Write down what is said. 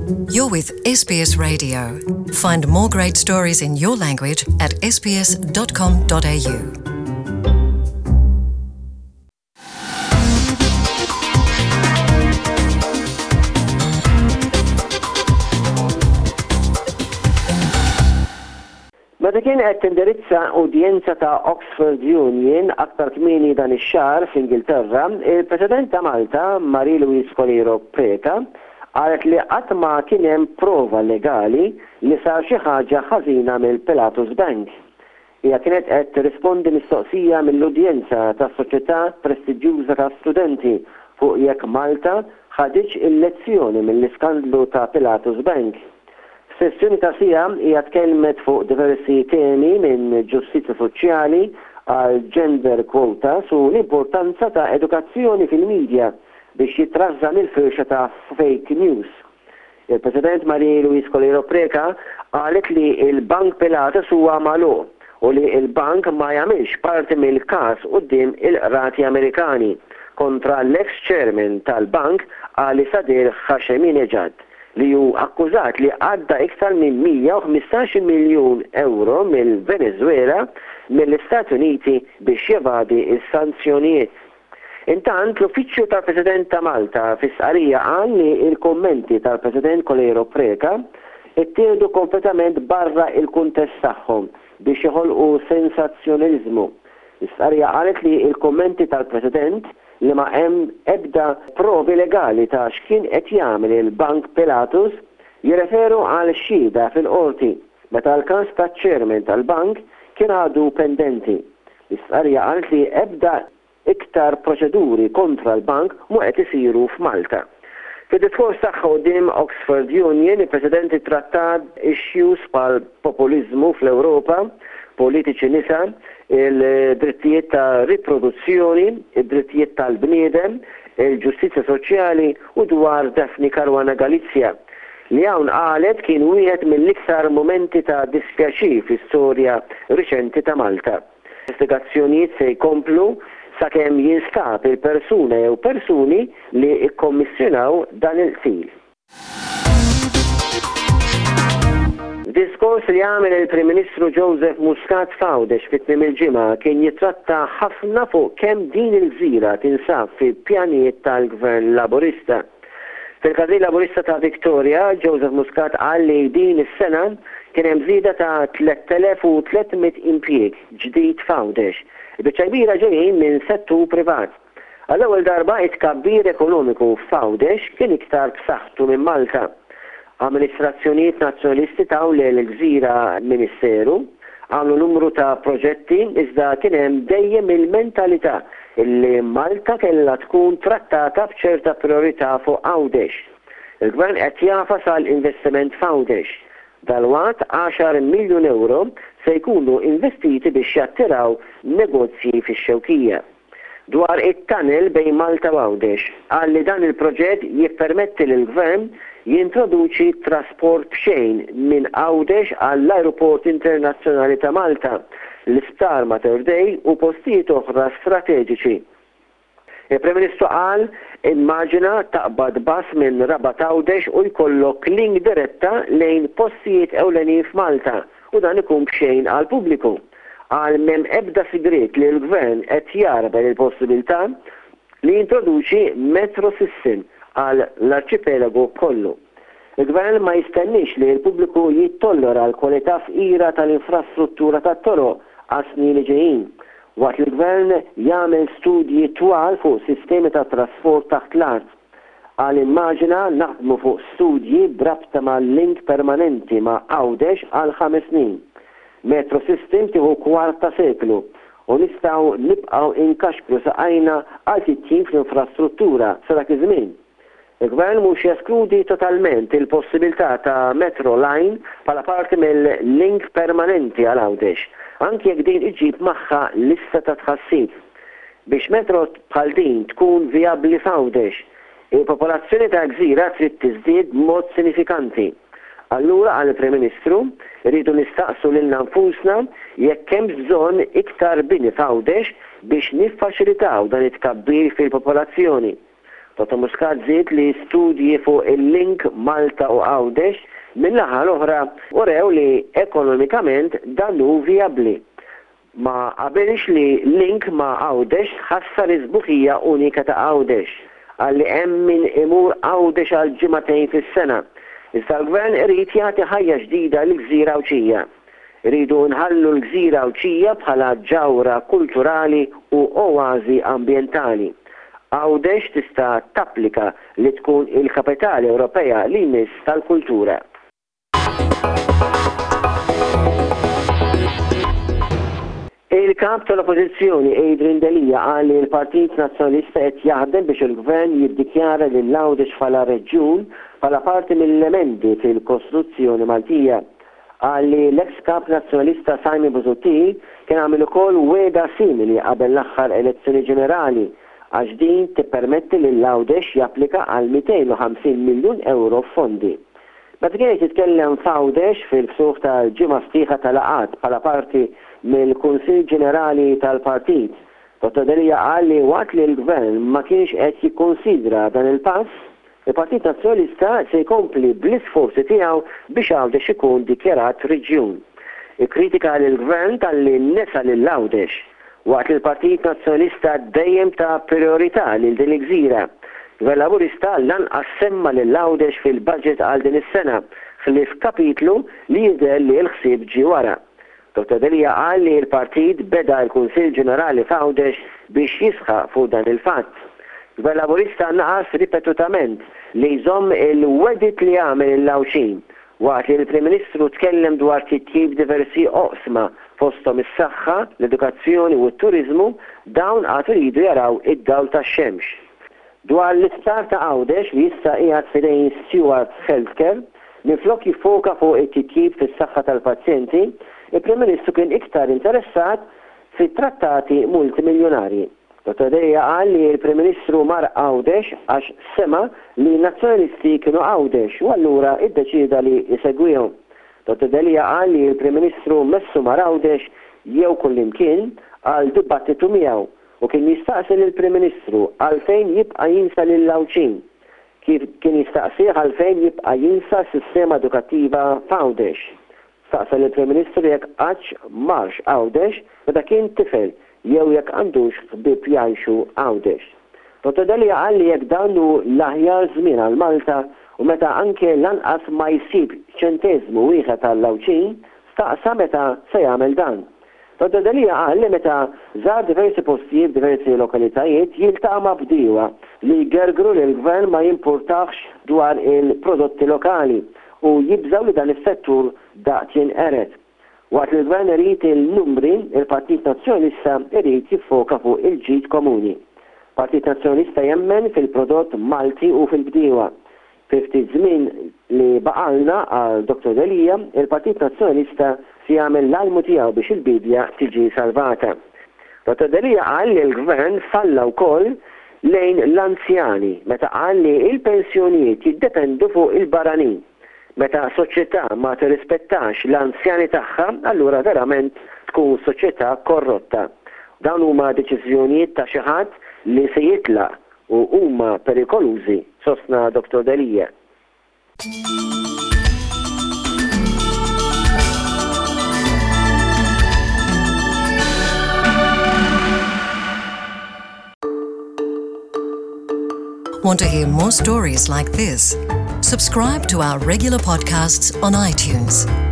You're with SBS Radio. Find more great stories in your language at sbs.com.au. Meta kien qed tindirizza udjenza ta' Oxford Union aktar kmieni dan ix-xahar fl-Ingilterra, il-President ta' Malta, Marie Louise Coleiro Preca, qalet li qatt ma kien hemm prova legali li sar xi ħaġa ħażina mill-Pilatus Bank. Hija kienet qed tirrispondi mistoqsija mill-udjenza ta' soċjetà prestiġjuża ta' studenti fuq jekk Malta ħaditx il-lezzjoni mill-iskandlu ta' Pilatus Bank. F'sessjoni ta' siegħa hija tkellmet fuq diversi temi minn ġustizzja soċjali għal gender quotas u l-importanza ta' edukazzjoni fil-media biex jitrażżan il-firxa ta' fake news. Il-President Marie Louise Coleiro Preca qalet li l-Bank Pilatus huwa magħluq u li l-bank ma jagħmilx parti mill-każ quddiem il-qrati Amerikani kontra l-eks chairman tal-bank Ali Sadr Hasheminejad li hu akkużat li għadda iktar minn 115 miljun ewro mill-Veneżwela mill-Istati Uniti biex jevadi s-sanzjonijiet. Intant, l-Uffiċċju tal-President ta' Malta fi stqarrija qal li l-kummenti tal-President Coleiro Preca ttieħdu kompletament barra l-kuntest tagħhom biex joħolqu sensazzjonaliżmu. L-istqarrija qalet li l-kummenti tal-President li ma hemm ebda provi legali ta' x'kien qed jagħmel il-Bank Pilatus jirreferu għal xhieda fil-Qorti meta l-każ taċ-Chairman tal-Bank kien għadu pendenti. L-istqarrija qalet li ebda iktar proċeduri kontra l-bank mhu qed isiru f'Malta. Fid-diskors tagħha quddiem Oxford Union, il-President ittrattat issues bħal populiżmu fl-Ewropa, politiċi nisa, il-drittijiet ta' riproduzzjoni, id-drittijiet tal-bniedem, il-ġustizzja soċjali u dwar Daphne Caruana Galizia, li hawn qalet kien wieħed mill-iktar mumenti ta' dispjaċir fl-istorja riċenti ta' Malta. Investigazzjonijiet se jkomplu sakemm jinstab il-persuna jew persuni li kkommissjonaw dan il-qtil. F'diskors li għamel il-Prim Ministru Joseph Muscat f'Għawdex fi tmiem il-ġimgħa kien jittratta ħafna fuq kemm din il-gżira tinsab fi pjanijiet tal-Gvern Laburista. Fil-Każin Laburista ta' Victoria, Joseph Muscat qal li din is-sena kien hemm żieda ta' 3,300 impjieg ġdid f'Għawdex. Il-biċċa kbira ġejjin minn settur privat. Għall-ewwel darba it-tkabbir ekonomiku f'Għawdex kien iktar b'saħħtu minn Malta. Amministrazzjonijiet Nazzjonalisti taw lill-gżira ministeru, għamlu numru ta' proġetti iżda kien hemm dejjem il-mentalità li Malta kellha tkun trattata b'ċerta prijorità fuq Għawdex. Il-Gvern qed jagħfas għal investiment f'Għawdex. Dalwaqt għaxar miljun ewro se jkunu investiti biex jattiraw negozji fix-Xewkija. Dwar it-tunnel bejn Malta u Għawdex, qal li dan il-proġett jippermetti lill-Gvern jintroduċi trasport b'xejn minn Għawdex għall-Ajruport Internazzjonali ta' Malta, l-Isptar Mater Dei u postijiet oħra strateġiċi. Il-Prim Ministru qal, Immaġina taqbad bus minn Rabat Għawdex u jkollok link diretta lejn postijiet ewlenin f'Malta u dan ikun b'xejn għall-pubbliku. Qal m'hemm ebda sigriet li l-Gvern qed jagħrbel il-possibilità li jintroduċi metro system għal l-arċipelagu kollu. Il-Gvern ma jistenniex li l-pubbliku jittollera l-kwalità fqira tal-infrastruttura tat-toroq għas-snin li ġejjin, waqt li l-Gvern jagħmel studji twal fuq sistemi ta' trasport taħt l-art. Qal immaġina naħdmu fuq studji b'rabta ma' link permanenti ma' Għawdex għal ħames snin. Metro system tieħu kwart ta' seklu u nistgħu nibqgħu inkaxkru saqajna għal titjib fl-infrastruttura sa dak iż-żmien. Il-Gvern mhux jeskludi totalment il-possibilità ta' metro line bħala parti mill-link permanenti għal Għawdex, anki jekk din iġġib magħha lista ta' tħassib. Biex metro bħal din tkun vijabbli f'Għawdex, il-popolazzjoni tal-gżira trid tiżdied b'mod sinifikanti. Allura, qal il-Prim Ministru, irridu nistaqsu lilna nfusna jekk hemmx bżonn iktar bini f'Għawdex biex niffaċilitaw dan it-tkabbir fil-popolazzjoni. Dottor Muscat żied li studji fuq il-link Malta u Għawdex min-naħa l-oħra urew li ekonomikament dan hu vijabbli. Ma qabilx li link ma' Għawdex tħassar is-sbuħija unika ta' Għawdex. Qal li hemm min imur Għawdex għal ġimagħtejn fis-sena. Iżda l-Gvern irid jagħti ħajja ġdida lill-gżira Għawdxija. Irridu nħallu l-gżira Għawdxija bħala ġawhra kulturali u oażi ambjentali. Għawdex tista' tapplika li tkun il-kapitali Ewropea li jmiss tal-kultura. Il-Kap tal-Oppożizzjoni Adrian Delia qal li l-Partit Nazzjonalista qed jaħdem biex il-Gvern jiddikjara lil Għawdex bħala reġjun bħala parti mill-emendi fil-Kostituzzjoni Maltija. Qal li l-eks Kap Nazzjonalista Simon Busuttil kien għamel ukoll wegħda simili qabel l-aħħar elezzjoni ġenerali għax din tippermetti lil Għawdex japplika għal 250 miljun ewro f'fondi. Meta kien qed jitkellem f'Għawdex fil-ftuħ tal-ġimgħa sħiħa ta' laqgħat bħala parti mill-Kunsill Ġenerali tal-Partit, Dottor Delia qal li waqt li l-Gvern ma kienx qed jikkunsidra dan il-pass, il-Partit Nazzjonalista se jkompli bl-isforzi tiegħu biex Għawdex ikun dikjarat reġjun. Ikkritika lill-Gvern talli nesa lil Għawdex. Waqt li l-Partit Nazzjonalista dejjem ta prijorità lil din il-gżira, Gvern Laburista lanqas semma lil Għawdex fil-budget għal din is-sena, ħlief kapitlu li jidher li l-ħsieb ġie wara. Dottor Delia qal li l-Partit beda l-Kunsill Ġenerali f'Għawdex biex jisħaq fuq dan il-fatt. Gvern Laburista naqas ripetutament li jżomm il-wegħdiet li għamel lill-Għawdxin Waqt li l-Prim Ministru tkellem dwar titjib f'diversi oqsma, fosthom is-saħħa, l-edukazzjoni u t-turiżmu, dawn għad iridu jaraw id-dawl tax-xemx. Dwar l-isptar ta' Għawdex li issa qiegħed f'idejn Steward Healthcare, minflok jiffoka fuq it-titjib fis-saħħa tal-pazjenti, il-Prim Ministru kien iktar interessat fi trattati multimiljunarji. Dottor Delia qal li l-Prim Ministru mar Għawdex għax sema' li n-Nazzjonalisti kienu Għawdex u allura iddeċieda li jsegwihom. Dottor Delia qal li l-Prim Ministru messu mar Għawdex jew kullimkien għal dibattitu miegħu u kien jistaqsi lill-Prim Ministru għalfejn jibqa' jinsa lill-Għawdxin. Kif kien jistaqsih għalfejn jibqa' jinsa s-sistema edukattiva f'Għawdex. Staqsa lill-Prim Ministru jekk qattx marx Għawdex meta kien tifel jew jekk għandux ħbieb jgħixu Għawdex. Dottor Delia qal li jekk dan hu l-aħjar żmien għal Malta u meta anke lanqas ma jsib ċenteżmu wieħed għall-Għawdxin, staqsa meta se jagħmel dan. Dottor Delia qal li meta żar diversi postijiet f'diversi lokalitajiet jiltaqa' ma' bdiewa li jgergru li l-Gvern ma jimpurtahx dwar il-prodotti lokali u jibżgħu li dan is-settur daqt jinqered. Waqt li l-Gvern irid il-numri, il-Partit Nazzjonalista irid jiffoka fuq il-ġid komuni. Partit Nazzjonalista jemmen fil-prodott Malti u fil-bdiewa. Fi ftit żmien li baqgħalna, qal Dottor Delia, il-Partit Nazzjonalista se jagħmel l-almu tiegħu biex il-biedja tiġi salvata. Dottor Delia qal li l-Gvern falla wkoll lejn l-anzjani meta qal li l-pensjonijiet jiddependu fuq il-barranin. Meta soċjetà ma tirrispettax l-anzjani tagħha allura verament tkun soċjetà korrotta. Dawn huma deċiżjonijiet ta' xi ħadd li se jitlaq u huma perikolużi, sostna Dottor Delia. Want to hear more stories like this? Subscribe to our regular podcasts on iTunes.